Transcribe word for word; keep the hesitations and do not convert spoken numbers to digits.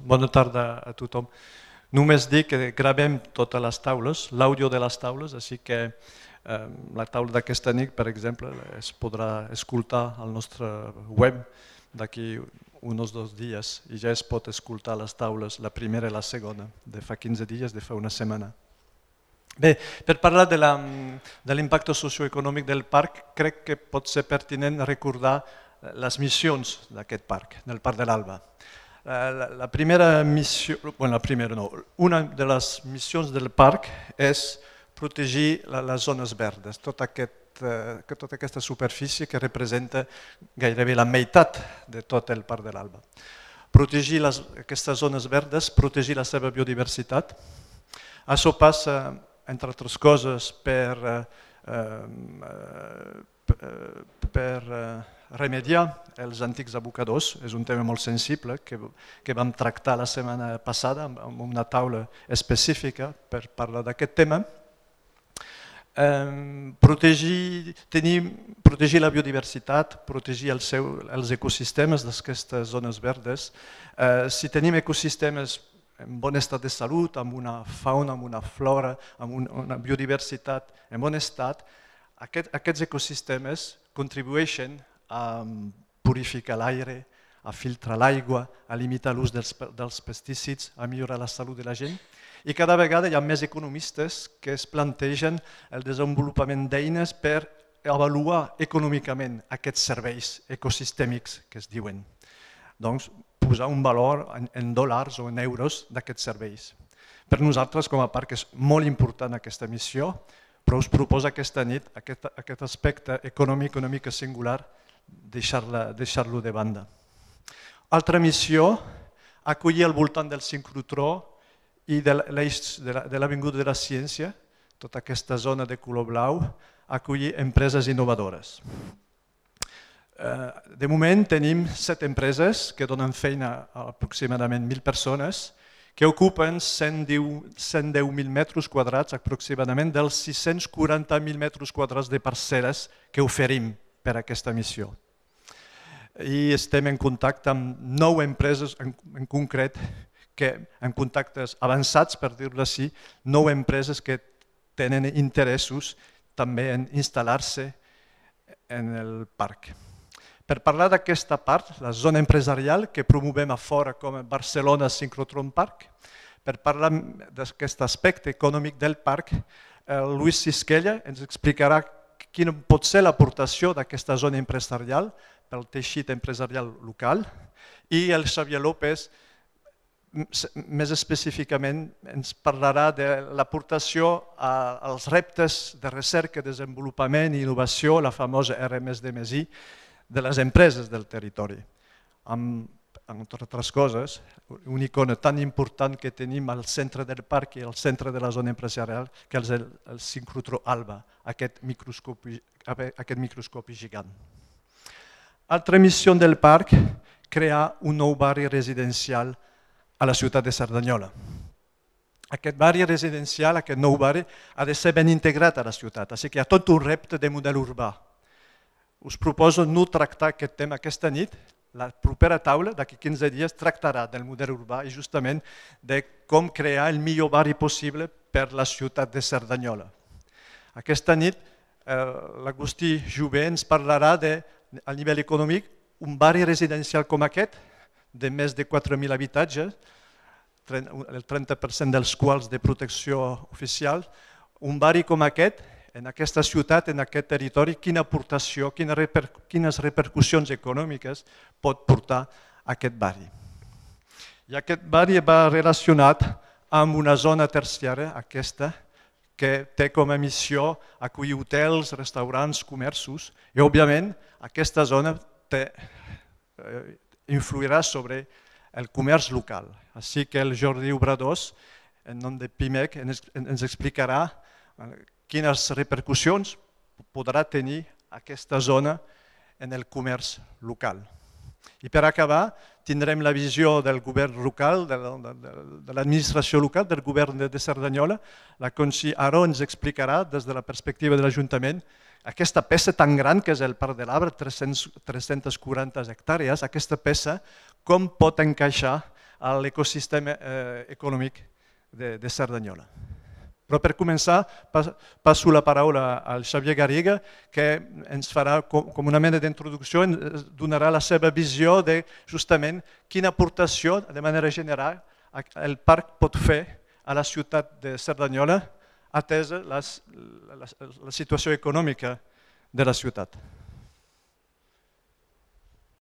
bona tarda a tothom. Només dir que gravem totes les taules, l'àudio de les taules, així que eh, la taula d'aquesta nit, per exemple, es podrà escoltar al nostre web d'aquí uns dos dies i ja es pot escoltar les taules, la primera i la segona, de fa quinze dies, de fa una setmana. Bé, per parlar de l'impacte socioeconòmic del parc, crec que pot ser pertinent recordar les missions d'aquest parc, del Parc de l'Alba. La, la primera missió, bueno, la primera no, una de les missions del parc és protegir la, les zones verdes, tot aquest, eh, tota aquesta superfície que representa gairebé la meitat de tot el Parc de l'Alba. Protegir les, aquestes zones verdes, protegir la seva biodiversitat. Això passa, entre altres coses, per, eh, per eh, remediar els antics abocadors. És un tema molt sensible que, que vam tractar la setmana passada amb una taula específica per parlar d'aquest tema. Eh, protegir, tenir, protegir la biodiversitat, protegir el seu, els ecosistemes d'aquestes zones verdes. Eh, si tenim ecosistemes en bon estat de salut, amb una fauna, amb una flora, amb un, una biodiversitat en bon estat, aquest, aquests ecosistemes contribueixen a purificar l'aire, a filtrar l'aigua, a limitar l'ús dels, dels pesticides, a millorar la salut de la gent. I cada vegada hi ha més economistes que es plantegen el desenvolupament d'eines per avaluar econòmicament aquests serveis ecosistèmics que es diuen. Doncs posar un valor en, en dòlars o en euros d'aquests serveis. Per nosaltres com a parc és molt important aquesta missió, però us proposa aquesta nit aquest, aquest aspecte econòmic una mica singular, deixar-lo deixar de banda. Altra missió, acollir al voltant del sincrotró i de l'eix de l'Avinguda de la Ciència, tota aquesta zona de color blau, acollir empreses innovadores. De moment tenim set empreses que donen feina a aproximadament mil persones que ocupen cent deu mil metres quadrats aproximadament dels sis-cents quaranta mil metres quadrats de parcel·les que oferim per a aquesta missió. I estem en contacte amb nou empreses en, en concret, que, en contactes avançats, per dir-ho així, nou empreses que tenen interessos també en instal·lar-se en el parc. Per parlar d'aquesta part, la zona empresarial que promovem a fora com a Barcelona Synchrotron Park, per parlar d'aquest aspecte econòmic del parc, el Luis Sisquella ens explicarà quina pot ser l'aportació d'aquesta zona empresarial pel teixit empresarial local i el Xavier López més específicament ens parlarà de l'aportació als reptes de recerca, desenvolupament i innovació, la famosa R més D més I, de les empreses del territori. Amb, entre altres coses, una icona tan important que tenim al centre del parc i al centre de la zona empresarial, que és el, el Synchrotron Alba, aquest microscopi, aquest microscopi gigant. Altra missió del parc, crear un nou barri residencial a la ciutat de Cerdanyola. Aquest barri residencial, aquest nou barri, ha de ser ben integrat a la ciutat, així que hi ha tot un repte de model urbà. Us proposo no tractar aquest tema aquesta nit, la propera taula, d'aquí quinze dies, tractarà del model urbà i justament de com crear el millor barri possible per la ciutat de Cerdanyola. Aquesta nit l'Agustí Jové ens parlarà de, a nivell econòmic, un barri residencial com aquest, de més de quatre mil habitatges, el trenta per cent dels quals de protecció oficial, un barri com aquest, en aquesta ciutat, en aquest territori, quina aportació, quines repercussions econòmiques pot portar aquest barri. I aquest barri va relacionat amb una zona terciària, aquesta, que té com a missió acollir hotels, restaurants, comerços, i òbviament aquesta zona té, eh, influirà sobre el comerç local. Així que el Jordi Obradors, en nom de Pimec, ens, ens explicarà quines repercussions podrà tenir aquesta zona en el comerç local. I per acabar, tindrem la visió del govern local, de l'administració local, del govern de Cerdanyola. La Conxi Aró ens explicarà, des de la perspectiva de l'Ajuntament, aquesta peça tan gran que és el Parc de l'Arbre, tres-centes quaranta hectàrees, aquesta peça com pot encaixar a l'ecosistema eh, econòmic de, de Cerdanyola. Però per començar, passo la paraula al Xavier Garriga, que ens farà com una mena d'introducció, ens donarà la seva visió de justament quina aportació, de manera general, el parc pot fer a la ciutat de Cerdanyola, atesa la, la, la situació econòmica de la ciutat.